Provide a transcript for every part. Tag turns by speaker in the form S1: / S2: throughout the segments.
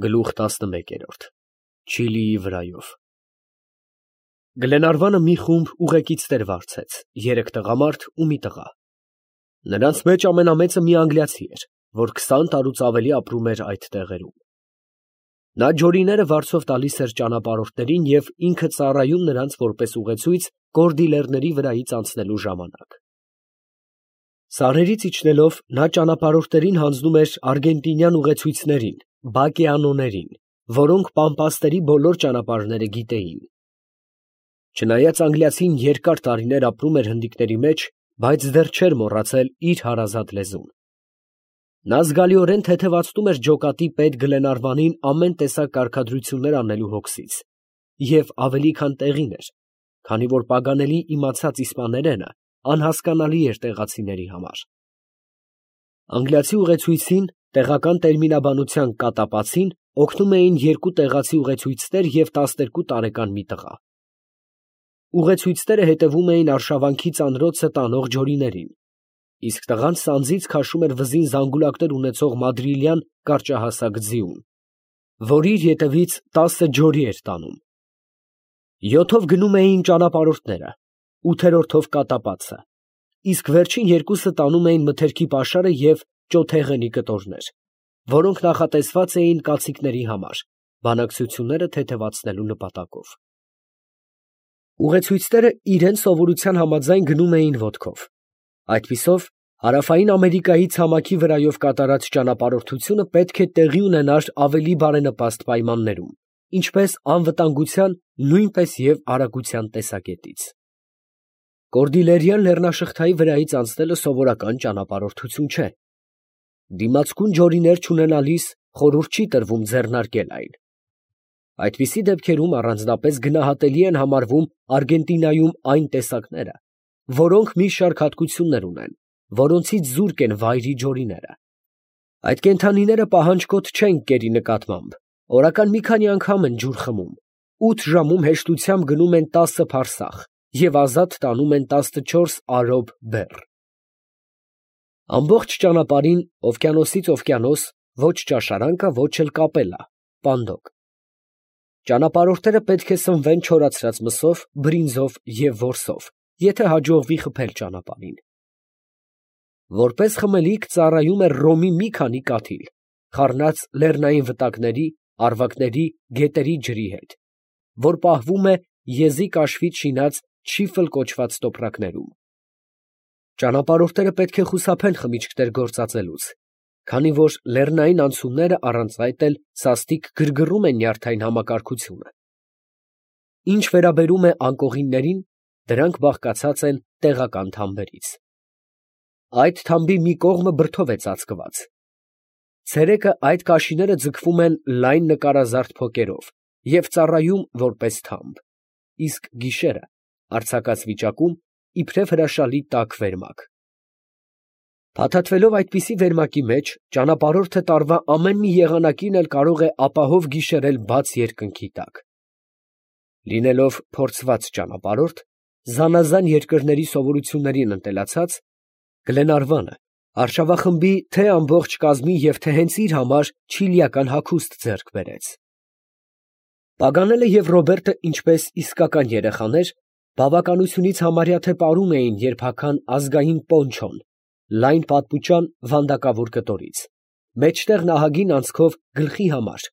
S1: Գլուխ 11 Չիլիի վրայով Գլենարվանը մի խումբ ուղեկիցներ վարձեց, 3 տղամարդ ու մի տղա։ Նրանց մեջ ամենամեծը մի անգլիացի էր, որ 20 տարուց ավելի ապրում էր այդ տեղերում։ Նա ջորիները վարձով տալիս էր ճանապարհորդներին և ինքը ծառայում նրանց որպես ուղեցույց կորդիլերների վրայից անցնելու ժամանակ։ Սարերից իջնելով նա ճանապարհորդներին հանձնում էր արգենտինյան ուղեցույցներին, բակեանոներին, որոնք Պամպասների բոլոր ճանապարհները գիտեին։ Չնայած անգլիացին երկար տարիներ ապրում էր հնդիկների մեջ, բայց դեռ չէր մոռացել իր հարազատ լեզուն։ Նա զգալիորեն թեթևացնում էր ջոկատի պետ Գլենարվանին ամեն տեսակ կարգադրություններ անելու հոգսից, և ավելի քան տեղին էր, քանի որ պագանելի իմացած իսպաներենը անհասկանալի էր տեղացիների համար։ Անգլիացի ուղեցույցին տեղական տերմինաբանության կատապացին օգնում էին 2 տեղացի ուղեցույցներ և 12 տարեկան մի տղա։ Ուղեցույցները հետևում էին արշավանքի ծանրոցը տանող ջորիներին, իսկ տղան սանձից քաշում էր վզին զանգուլակներ ունեցող մադրիլյան կարճահասակ ձիուն, որ իր ետևից 10 ջորի էր տանում։ 7-ով գնում էին ճանապարհորդները, 8-րդով կատապածը, իսկ վերջին 2-ը տանում էին մթերքի պաշարը և ճոթեղենի կտորներ, որոնք նախատեսված էին կացիկների համար, բանակցությունները թեթևացնելու նպատակով։ Ուղեցույցները իրենց սովորության համաձայն գնում էին ոտքով։ Այդպիսով Հարավային Ամերիկայի ցամաքի վրայով կատարած ճանապարհորդությունը պետք է տեղի ունենար ավելի բարենպաստ պայմաններում, ինչպես անվտանգության, նույնպես և արագության տեսակետից։ Կորդիլերյան լեռնաշղթայի վրայից անցնելը սովորական ճանապարհորդություն չէ։ Դիմացկուն ջորիներ չունենալիս խորհուրդ չի տրվում ձեռնարկել այն։ Այդպիսի դեպքերում առանձնապես գնահատելի են համարվում Արգենտինայում այն տեսակները, որոնք մի շարք հատկություններ ունեն, որոնցից զուրկ են վայրի ջորիները։ Այդ կենդանիները պահանջկոտ չեն կերի նկատմամբ, օրական մի քանի անգամ են ջուր խմում, 8 ժամում հեշտությամբ գնում են 10 փարսախ և ազատ տանում են 14 արոբ բեռ։ Ամբողջ ճանապարհին օվկիանոսից օվկիանոս ոչ ճաշարան կա, ոչ էլ կապելա, պանդոկ։ Ճանապարհորդները պետք է սնվեն չորացրած մսով, բրինձով և որսով, եթե հաջողվի խփել ճանապարհին։ Որպես խմելիք ծառայում է ռոմի մի քանի կաթիլ, խառնած լեռնային վտակների, առվակների, գետերի ջրի հետ, որ պահվում է եզի կաշվից շինած չիֆլ կոչված տոպրակներում։ Ճանապարհորդները պետք է խուսափեն խմիչքներ գործածելուց, քանի որ լեռնային անցումները առանց այդ էլ սաստիկ գրգռում են նյարդային համակարգությունը։ Ինչ վերաբերում է անկողիններին, դրանք բաղկացած են տեղական թամբերից։ Այդ թամբի մի կողմը բրդով է ծածկված։ Ցերեկը այդ կաշիները ձգվում են լայն նկարազարդ փոկերով և ծառայում որպես թամբ, իսկ գիշերը արձակած վիճակում իբրև հրաշալի տաք վերմակ։ Փաթաթվելով այդպիսի վերմակի մեջ, ճանապարհորդը տարվա ամեն մի եղանակին էլ կարող է ապահով գիշերել բաց երկնքի տակ։ Լինելով փորձված ճանապարհորդ, զանազան երկրների սովորություններին ընտելացած, Գլենարվանը արշավախմբի թե ամբողջ կազմի և թե հենց իր համար չիլիական հագուստ ձեռք բերեց։ Պագանելը և Ռոբերտը, ինչպես իսկական երեխաներ, բավականությունից համարյա թե պարում էին երբական ազգային պոնչոն, լայն պատմուճան վանդակավոր կտորից, մեջտեղ նահագին անցքով գլխի համար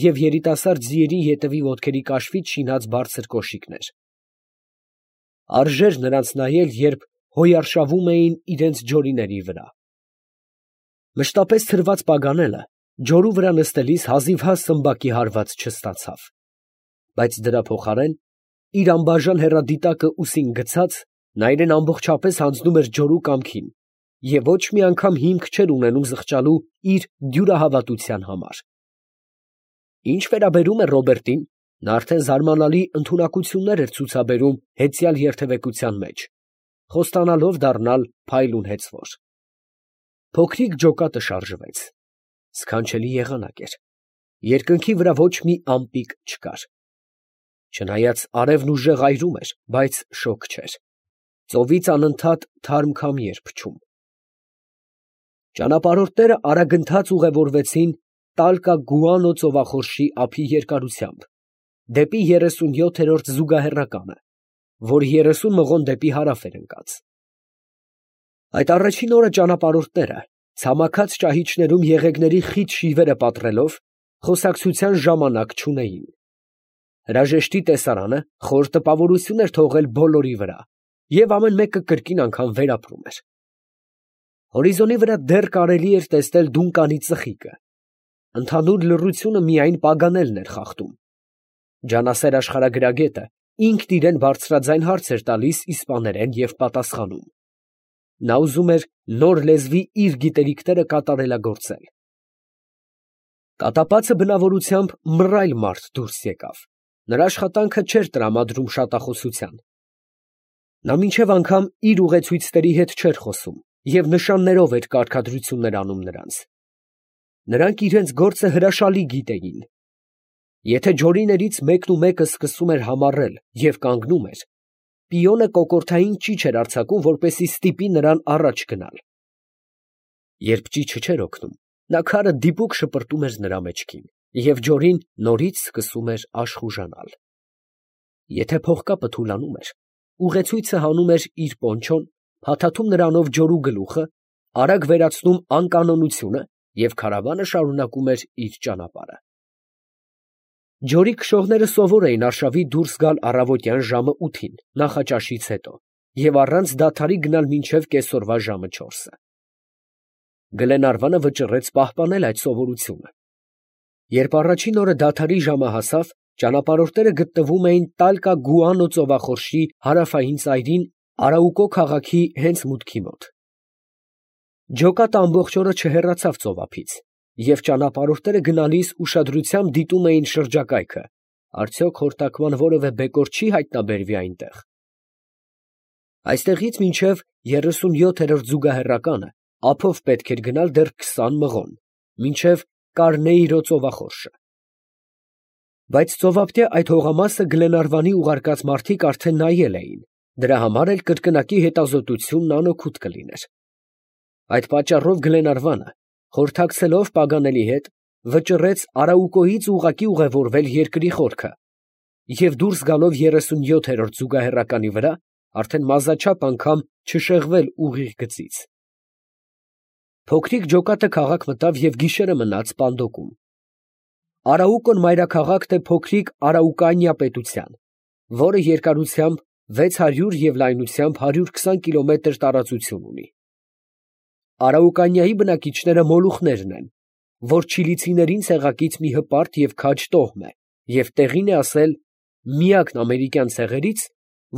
S1: և երիտասարդ ձիերի ետևի ոտքերի կաշվից շինած բարձր կոշիկներ։ Արժեր նրանց նայել, երբ հոյարշավում էին իրենց ջորիների վրա։ Մշտապես ցրված Պագանելը ջորու վրա նստելիս հազիվհազ սմբակի հարված չստացավ, բայց դրա փոխարեն, իր անբաժան հեռադիտակը ուսին գցած, նա իրեն ամբողջապես հանձնում էր ջորու կամքին և ոչ մի անգամ հիմք չէր ունենում զղջալու իր դյուրահավատության համար։ Ինչ վերաբերում է Ռոբերտին, նա արդեն զարմանալի ընդունակություններ էր ցուցաբերում հեծյալ երթևեկության մեջ, խոստանալով դառնալ փայլուն հեծվոր։ Փոքրիկ ջոկատը շարժվեց։ Սքանչելի եղանակ էր։ Երկնքի վրա ոչ մի ամպիկ չկար։ Չնայած արևն ուժեղ այրում էր, բայց շոգ չէր։ Ծովից անընդհատ թարմ քամի էր փչում։ Ճանապարհորդները արագընթաց ուղևորվեցին Տալկա Գուանո ծովախորշի ափի երկարությամբ, դեպի 37-րդ զուգահեռականը, որ 30 մղոն դեպի հարավ էր ընկած։ Այդ առաջին օրը ճանապարհորդները, ցամաքած ճահիճներում եղեգների խիտ շիվերը պատռելով, խոսակցության ժամանակ չունեին։ Հրաժեշտի տեսարանը խոր տպավորություն էր թողել բոլորի վրա, և ամեն մեկը կրկին անգամ վերապրում էր։ Հորիզոնի վրա դեռ կարելի էր տեսնել Դունկանի ծխիկը։ Ընդհանուր լռությունը միայն Պագանելն էր խախտում։ Ջանասեր աշխարհագրագետը ինքն իրեն բարձրաձայն հարց էր տալիս իսպաներեն և պատասխանում։ Նա ուզում էր նոր լեզվի իր գիտելիքները կատարելագործել։ Կատապածը բնավորությամբ մռայլ մարդ դուրս եկավ։ Նրա աշխատանքը չէր տրամադրում շատախոսության։ Նա մինչև անգամ իր ուղեցույցների հետ չէր խոսում և նշաններով էր կարգադրություններ անում նրանց։ Նրանք իրենց գործը հրաշալի գիտեին։ Եթե ջորիներից մեկը սկսում էր համառել և կանգնում էր, պիոնը կոկորդային ճիչ էր արձակում, որպեսզի ստիպի նրան առաջ գնալ։ Երբ ճիչը չէր օգնում, նա քարը դիպուկ շպրտում էր նրա մեջքին, և ջորին նորից սկսում էր աշխուժանալ։ Եթե փողկապը թուլանում էր, ուղեցույցը հանում էր իր պոնչոն, փաթաթում նրանով ջորու գլուխը, արագ վերացնում անկանոնությունը և քարավանը շարունակում էր իր ճանապարհը։ Ջորի քշողները սովոր էին արշավի դուրս գալ առավոտյան ժամը 8-ին նախաճաշից հետո և առանց դադարի գնալ մինչև կեսօրվա ժամը 4-ը։ Գլենարվանը վճռեց պահպանել այդ սովորությունը։ Երբ առաջին օրը դադարի ժամը հասավ, ճանապարհորդները գտնվում էին Տալկա Գուանո ծովախորշի հարավային ծայրին Արաուկո քաղաքի հենց մուտքի մոտ։ Ջոկատը ամբողջ օրը չհեռացավ ծովափից, և ճանապարհորդները գնալիս ուշադրությամբ դիտում էին շրջակայքը, արդյոք խորտակման որևէ բեկոր չի հայտնաբերվի այնտեղ։ Այստեղից մինչև 37-րդ զուգահեռականը ափով պետք էր գնալ դեռ 20 մղոն, մինչև Կարնեիրո ծովախորշը։ Բայց ծովափնյա այդ հողամասը Գլենարվանի ուղարկած մարդիկ արդեն նայել էին, դրա համար էլ կրկնակի հետազոտությունն անօգուտ կլիներ։ Այդ պատճառով Գլենարվանը, խորհրդակցելով Պագանելի հետ, վճռեց Արաուկոյից ուղղակի ուղևորվել երկրի խորքը և դուրս գալով 37-րդ զուգահեռականի վրա, արդեն մազաչափ անգամ չշեղվել ուղիղ գծից։ Փոքրիկ ջոկատը քաղաք մտավ և գիշերը մնաց Պանդոկում։ Արաուկոն մայրաքաղաքն է փոքրիկ Արաուկանիա պետության, որը երկարությամբ 600 և լայնությամբ 120 կիլոմետր տարածություն ունի։ Արաուկանիայի բնակիչները մոլուխներն են, որ չիլիցիներին ցեղակից մի հպարտ և քաջ տոհմ է, և տեղին է ասել միակն ամերիկյան ցեղերից,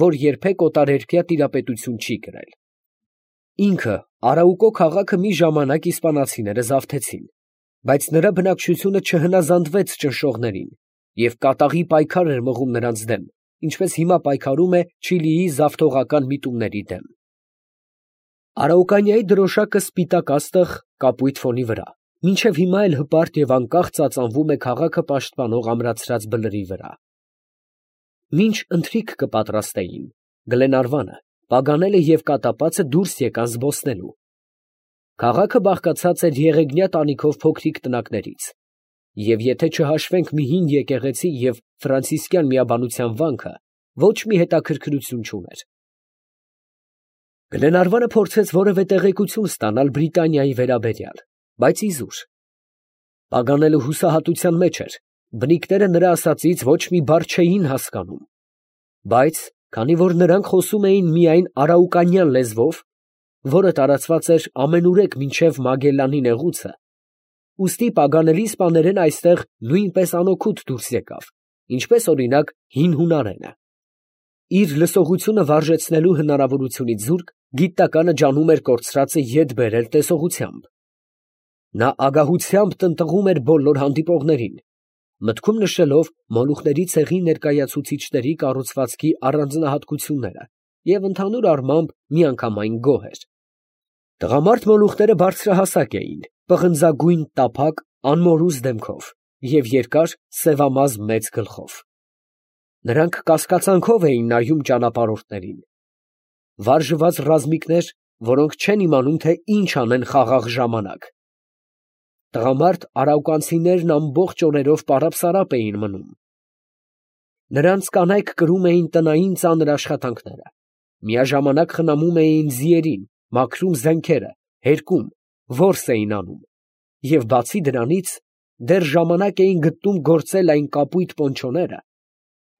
S1: որ երբեք օտարերկրյա տիրապետություն չի կրել։ Ինքը Արաուկո քաղաքը մի ժամանակ իսպանացիները զավթեցին, բայց նրա բնակչությունը չհնազանդվեց ճնշողներին և կատաղի պայքար էր մղում նրանց դեմ, ինչպես հիմա պայքարում է Չիլիի զավթողական միտումների դեմ։ Արաուկանիայի դրոշակը սպիտակ աստղ կապույտ ֆոնի վրա, մինչև հիմա էլ հպարտ և անկախ ծածանվում է քաղաքը պաշտպանող ամրացրած բլրի վրա։ Մինչ ընթրիք կպատրաստեին, Գլենարվանը, Պագանելը և կատապածը դուրս եկան զբոսնելու։ Քաղաքը բաղկացած էր եղեգնյա տանիքով փոքրիկ տնակներից, և եթե չհաշվենք մի հին եկեղեցի և ֆրանցիսկյան միաբանության վանքը, ոչ մի հետաքրքրություն չուներ։ Գլենարվանը փորձեց որևէ տեղեկություն ստանալ Բրիտանիայի վերաբերյալ, բայց իզուր։ Պագանելը հուսահատության մեջ էր, բնիկները նրա ասածից ոչ մի բառ չէին հասկանում, բայց քանի որ նրանք խոսում էին միայն արաուկանյան լեզվով, որը տարածված էր ամենուրեք մինչև Մագելլանի նեղուցը, ուստի Պագանելի սպաներեն այստեղ նույնպես անօգուտ դուրս եկավ, ինչպես օրինակ հին հունարենը։ Իր լսողությունը վարժեցնելու հնարավորությունից զուրկ, գիտականը ջանում էր կորցրածը ետ բերել տեսողությամբ։ Նա ագահությամբ տնտղում էր բոլոր հանդիպողներին, մտքում նշելով մոլուխների ցեղի ներկայացուցիչների կառուցվածքի առանձնահատկությունները և ընդհանուր առմամբ միանգամայն գոհ էր։ Տղամարդ մոլուխները բարձրահասակ էին, պղնձագույն տափակ, անմորուս դեմքով և երկար սևամազ մեծ գլխով։ Նրանք կասկածանքով էին նայում ճանապարհորդներին։ Վարժված ռազմիկներ, որոնք չեն իմանում, թե ինչ անեն խաղաղ ժամանակ։ Տղամարդ արաուկանցիներն ամբողջ օրերով պարապ էին մնում։ Նրանց կանայք կրում էին տնային ծանր աշխատանքները, միաժամանակ խնամում էին ձիերին, մաքրում զենքերը, հերկում, որս էին անում, և բացի դրանից դեռ ժամանակ էին գտնում գործել այն կապույտ պոնչոները,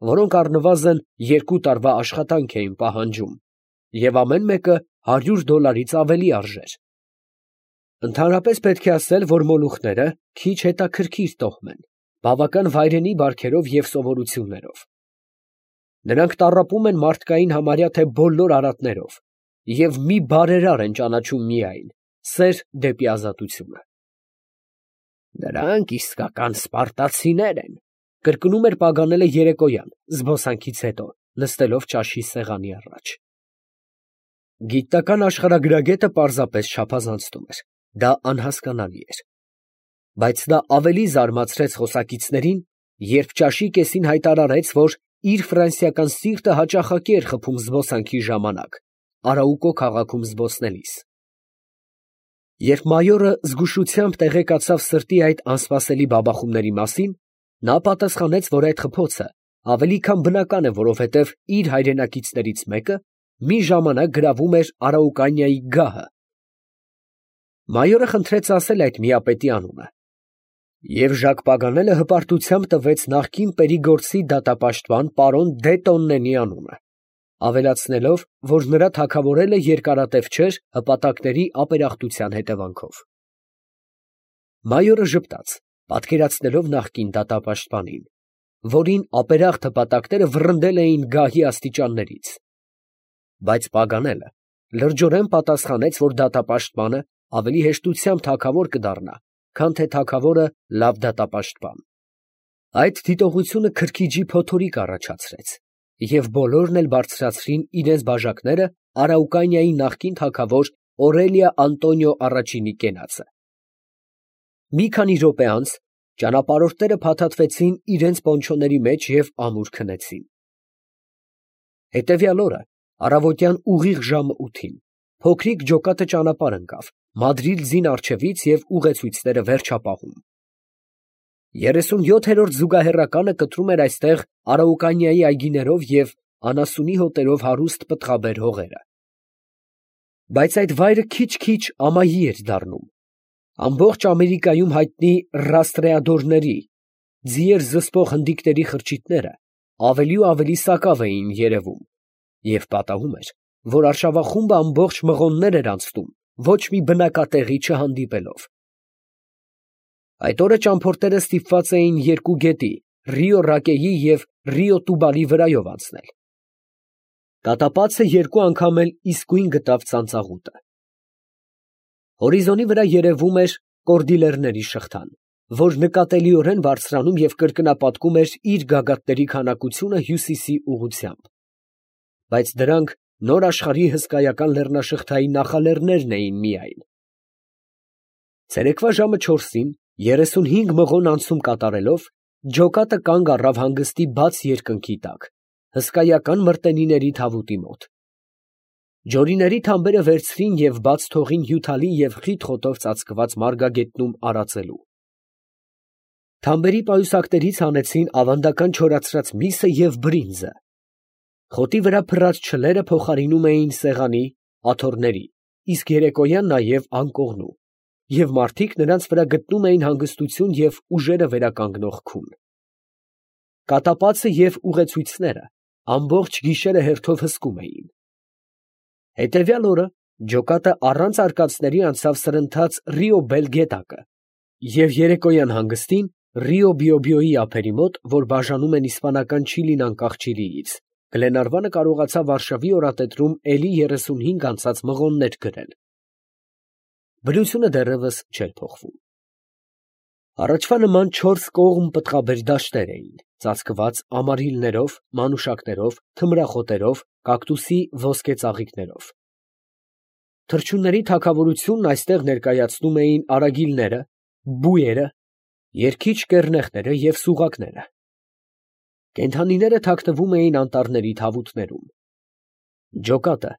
S1: որոնք առնվազն 2 տարվա աշխատանք էին պահանջում, և ամեն մեկը $100 ավելի արժեր։ Ընդհանրապես պետք է ասել, որ մոլուխները քիչ հետաքրքիր տոհմ են, բավական վայրենի բարքերով և սովորություններով։ Նրանք տառապում են մարդկային համարյա թե բոլոր արատներով և մի բարերար են ճանաչում միայն՝ սեր դեպի ազատությունը։ Նրանք իսկական սպարտացիներ են, կրկնում էր Պագանելը երեկոյան, զբոսանքից հետո, նստելով ճաշի սեղանի առաջ։ Գիտնական աշխարհագրագետը պարզապես չափազանցնում էր, դա անհասկանալի էր։ Բայց դա ավելի զարմացրեց խոսակիցներին, երբ ճաշի կեսին հայտարարեց, որ իր ֆրանսիական սիրտը հաճախակի էր խփում զբոսանքի ժամանակ, Արաուկո քաղաքում զբոսնելիս։ Երբ մայորը զգուշությամբ տեղեկացավ սրտի այդ անսպասելի բաբախումների մասին, նա պատասխանեց, որ այդ խփոցը ավելի քան բնական է, որովհետև իր հայրենակիցներից մեկը մի ժամանակ գրավում էր Արաուկանիայի գահը։ Մայորը խնդրեց ասել այդ միապետի անունը, և Ժակ Պագանելը հպարտությամբ տվեց նախկին Պերիգորցի դատապաշտպան պարոն դե Տոննենի անունը, ավելացնելով, որ նրա թագավորելը երկարատև չէր հպատակների ապերախտության հետևանքով։ Մայորը ժպտաց, պատկերացնելով նախկին դատապաշտպանին, որին ապերախտ հպատակները վռնդել էին գահի աստիճաններից։ Բայց Պագանելը լրջորեն պատասխանեց, որ դատապաշտպանը ավելի հեշտությամբ թագավոր կդառնա, քան թե թագավորը լավ դատապաշտպան։ Այդ դիտողությունը քրքիջի փոթորիկ առաջացրեց, և բոլորն էլ բարձրացրին իրենց բաժակները Արաուկանիայի նախկին թագավոր Օրելիա Անտոնիո առաջինի կենացը։ Մի քանի րոպե անց ճանապարհորդները փաթաթվեցին իրենց պոնչոների մեջ և ամուր քնեցին։ Հետևյալ օրը առավոտյան ուղիղ ժամը 8-ին փոքրիկ ջոկատը ճանապարհ ընկավ Մադրիդ առջևից և ուղեցույցները վերջապահում։ 37-րդ զուգահեռականը կտրում էր այստեղ Արաուկանիայի այգիներով և անասունի հոտերով հարուստ պտղաբեր հողերը։ Բայց այդ վայրը քիչ-քիչ ամայի էր դառնում։ Ամբողջ Ամերիկայում հայտնի ռաստրեադորների, ձիեր զսպող հնդիկների խրճիթները ավելի ու ավելի սակավ էին երևում, և պատահում էր, որ արշավախումբը ամբողջ մղոններ էր անցնում, ոչ մի բնակատեղի չհանդիպելով։ Այդ օրը ճամփորդները ստիպված էին երկու գետի՝ Ռիո Ռակեի և Ռիո Տուբալի վրայով անցնել։ Կատապացը երկու անգամ էլ իսկույն գտավ ծանծաղուտը։ Հորիզոնի վրա երևում էր Կորդիլերների շղթան, որ նկատելիորեն բարձրանում և կրկնապատկում էր իր գագաթների քանակությունը հյուսիսի ուղղությամբ։ Բայց դրանք նոր աշխարհի հսկայական լեռնաշղթայի նախալեռներն էին միայն։ Ցերեկվա ժամը 4-ին 35 մղոն անցում կատարելով, ջոկատը կանգ առավ հանգստի բաց երկնքի տակ, հսկայական մրտենիների թավուտի մոտ։ Ջորիների թամբերը վերցրին և բաց թողին հյութալի և խիտ խոտով ծածկված մարգագետնում արածելու։ Թամբերի պայուսակներից հանեցին ավանդական չորացրած միսը և բրինձը։ Խոտի վրա փռած չլերը փոխարինում էին սեղանի, աթոռների, իսկ երեկոյան նաև անկողնու, և մարդիկ նրանց վրա գտնում էին հանգստություն և ուժերը վերականգնող քուն։ Կատապացը և ուղեցույցները ամբողջ գիշերը հերթով հսկում էին։ Հետևյալ օրը ջոկատը առանց արկածների անցավ սրընթաց Ռիո Բել գետակը և երեկոյան հանգստին Ռիո Բիոբիոյի ափերի մոտ, որ բաժանում են իսպանական Չիլին անկախ Չիլիից, Գլենարվանը կարողացավ Վարշավի օրաթեթրում էլի 35 անցած մղոններ գրել։ Բնությունը դեռևս չէր փոխվում։ Առաջվա նման 4 կողմ պտղաբեր դաշտեր էին, ծածկված ամարիլներով, մանուշակներով, թմրախոտերով, կակտուսի ոսկե ծաղիկներով։ Թռչունների թագավորությունն այստեղ ներկայացնում էին արագիլները, բույերը, երգիչ կեռնեխները և սուղակները։ Կենդանիները թաքնվում էին անտառների թավուտներում։ Ջոկատը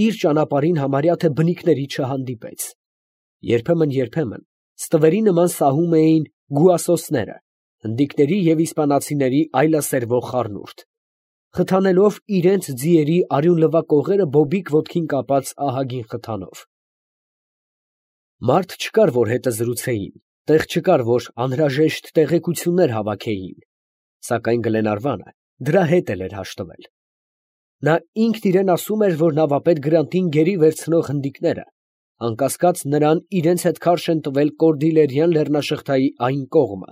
S1: իր ճանապարհին համարյա թե բնիկների չհանդիպեց։ Երբեմն Ստվերի նման սահում էին գուասոսները, հնդիկների և իսպանացիների այլասերվող խառնուրդ, խթանելով իրենց ձիերի արյունլվա կողերը բոբիկ ոտքին կապած ահագին խթանով։ Մարդ չկար, որ հետը զրուցեին, տեղ չկար, որ անհրաժեշտ տեղեկություններ հավաքեին, սակայն Գլենարվանը դրա հետ էր հաշտվել։ Նա ինքն իրեն ասում էր, որ նավապետ Գրանտին գերի վերցնող հնդիկները, անկասկած նրան իրենց հետ քարշ են տվել Կորդիլերյան լեռնաշղթայի այն կողմը,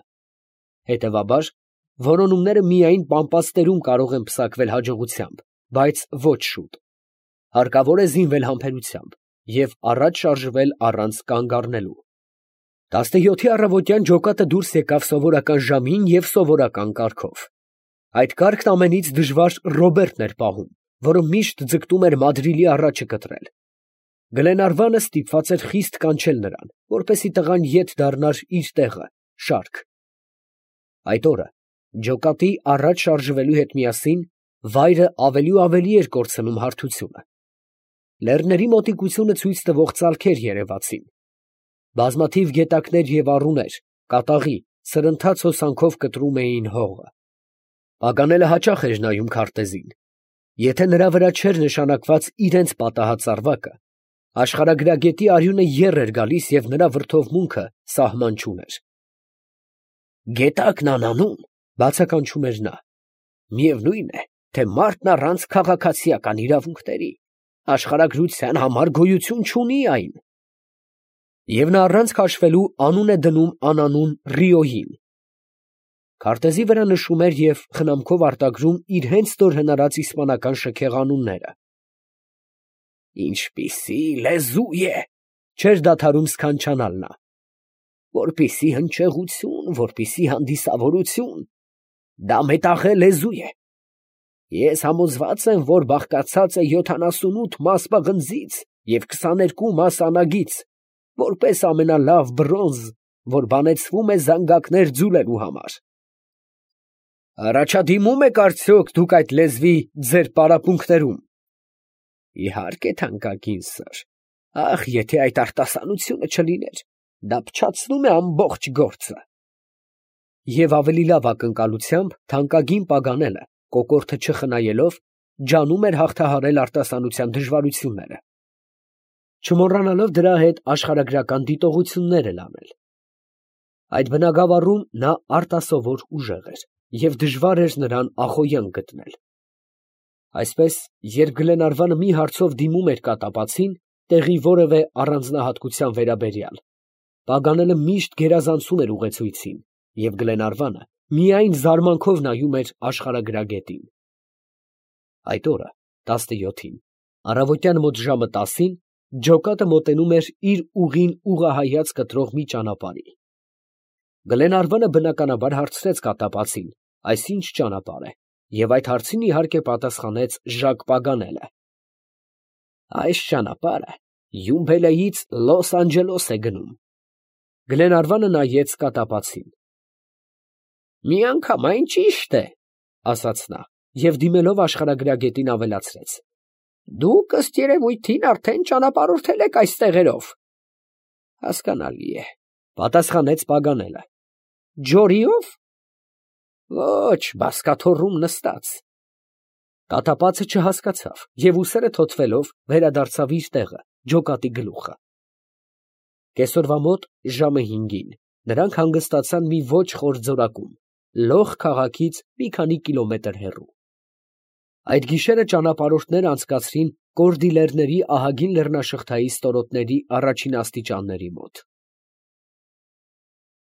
S1: հետևաբար որոնումները միայն պամպասներում կարող են պսակվել հաջողությամբ, բայց ոչ շուտ։ Հարկավոր է զինվել համբերությամբ և առաջ շարժվել առանց կանգ առնելու։ 17-ի առավոտյան ջոկատը դուրս եկավ սովորական ժամին և սովորական կարգով։ Այդ կարգն ամենից դժվար Ռոբերտն էր պահում, որը միշտ ձգտում էր մադրիլի առաջը կտրել։ Գլենարվանը ստիպված էր խիստ կանչել նրան, որպեսզի տղան ետ դառնար իր տեղը, շարք։ Այդ օրը ջոկատի առաջ շարժվելու հետ միասին վայրը ավելի ու ավելի էր կորցնում հարթությունը։ Լեռների մոտիկությունը ցույց տվող ծալքեր երևացին։ Բազմաթիվ գետակներ և առուներ, կատաղի, սրընթաց հոսանքով կտրում էին հողը։ Պագանելը հաճախ էր նայում քարտեզին։ Եթե նրա վրա չէր նշանակված իրենց պատահած ծառվակը, աշխարհագրագետի արյունը եռ էր գալիս և նրա վրդովմունքը սահման չուներ։ «Գետակն անանուն», բացականչում էր նա, «միևնույն է, թե մարդն առանց քաղաքացիական իրավունքների աշխարհագրության համար գոյություն չունի այն»։ Եվ նա առանց քաշվելու անուն է դնում անանուն Ռիոյին։ Քարտեզի վրա նշում էր և խնամքով արտագրում իր հենց նոր հնարած իսպանական շքեղ անունները։ «Ինչպիսի լեզու է», չէր դադարում սքանչանալ նա, «որպիսի հնչեղություն, որպիսի հանդիսավորություն, դա մետաղե լեզու է։ Ես համոզված եմ, որ բաղկացած է 78 մաս պղնձից և 22 մաս անագից, որպես ամենալավ բրոնզ, որ բանեցվում է զանգակներ ձուլելու համար։ Առաջադիմում եք արդյոք դուք այդ լեզվի ձեր պարապմունքներում։ Իհարկե, թանկագին սըր, ախ, եթե այդ արտասանությունը չլիներ, դա փչացնում է ամբողջ գործը։ Եվ ավելի լավ ակնկալությամբ թանկագին Պագանելը, կոկորդը չխնայելով, ջանում էր հաղթահարել արտասանության դժվարությունները, չմոռանալով դրա հետ աշխարհագրական դիտողություններ էլ անել։ Այդ բնագավառում նա արտասովոր ուժեղ էր, և դժվար էր նրան ախոյան գտնել։ Այսպես, երբ Գլենարվանը մի հարցով դիմում էր կատապացին, տեղի որևէ առանձնահատկության վերաբերյալ, Պագանելը միշտ գերազանցում էր ուղեցույցին, և Գլենարվանը միայն զարմանքով նայում էր աշխարհագրագետին։ Այդ օրը, 17-ին, առավոտյան մոտ ժամը 10-ին, ջոկատը մոտենում էր իր ուղին ուղղահայաց կտրող մի ճանապարհի։ Գլենարվանը բնականաբար հարցրեց կատապացին, այս ինչ ճանապարհ է, և այդ հարցին իհարկե պատասխանեց Ժակ Պագանելը։ Այս ճանապարհը Յումբելեից Լոս Անջելոս է գնում։ Գլենարվանը նայեց կատապացին։ Միանգամայն ճիշտ է, ասաց նա, և դիմելով աշխարհագրագետին ավելացրեց. Դուք ըստ երևույթին արդեն ճանապարհորդել եք այս տեղերով։ Հասկանալի է, պատասխանեց Պագանելը։ Ջորիո՞վ։ Ոչ, բազկաթոռում նստած։ Կատապացը չհասկացավ և ուսերը թոթվելով վերադարձավ իր տեղը, ջոկատի գլուխը։ Կեսօրվա մոտ ժամը 5-ին նրանք հանգստացան մի ոչ խոր ձորակում, Լոխ քաղաքից մի քանի կիլոմետր հեռու։ Այդ գիշերը ճանապարհորդները անցկացրին Կորդիլերների ահագին լեռնաշղթայի ստորոտների առաջին աստիճանների մոտ։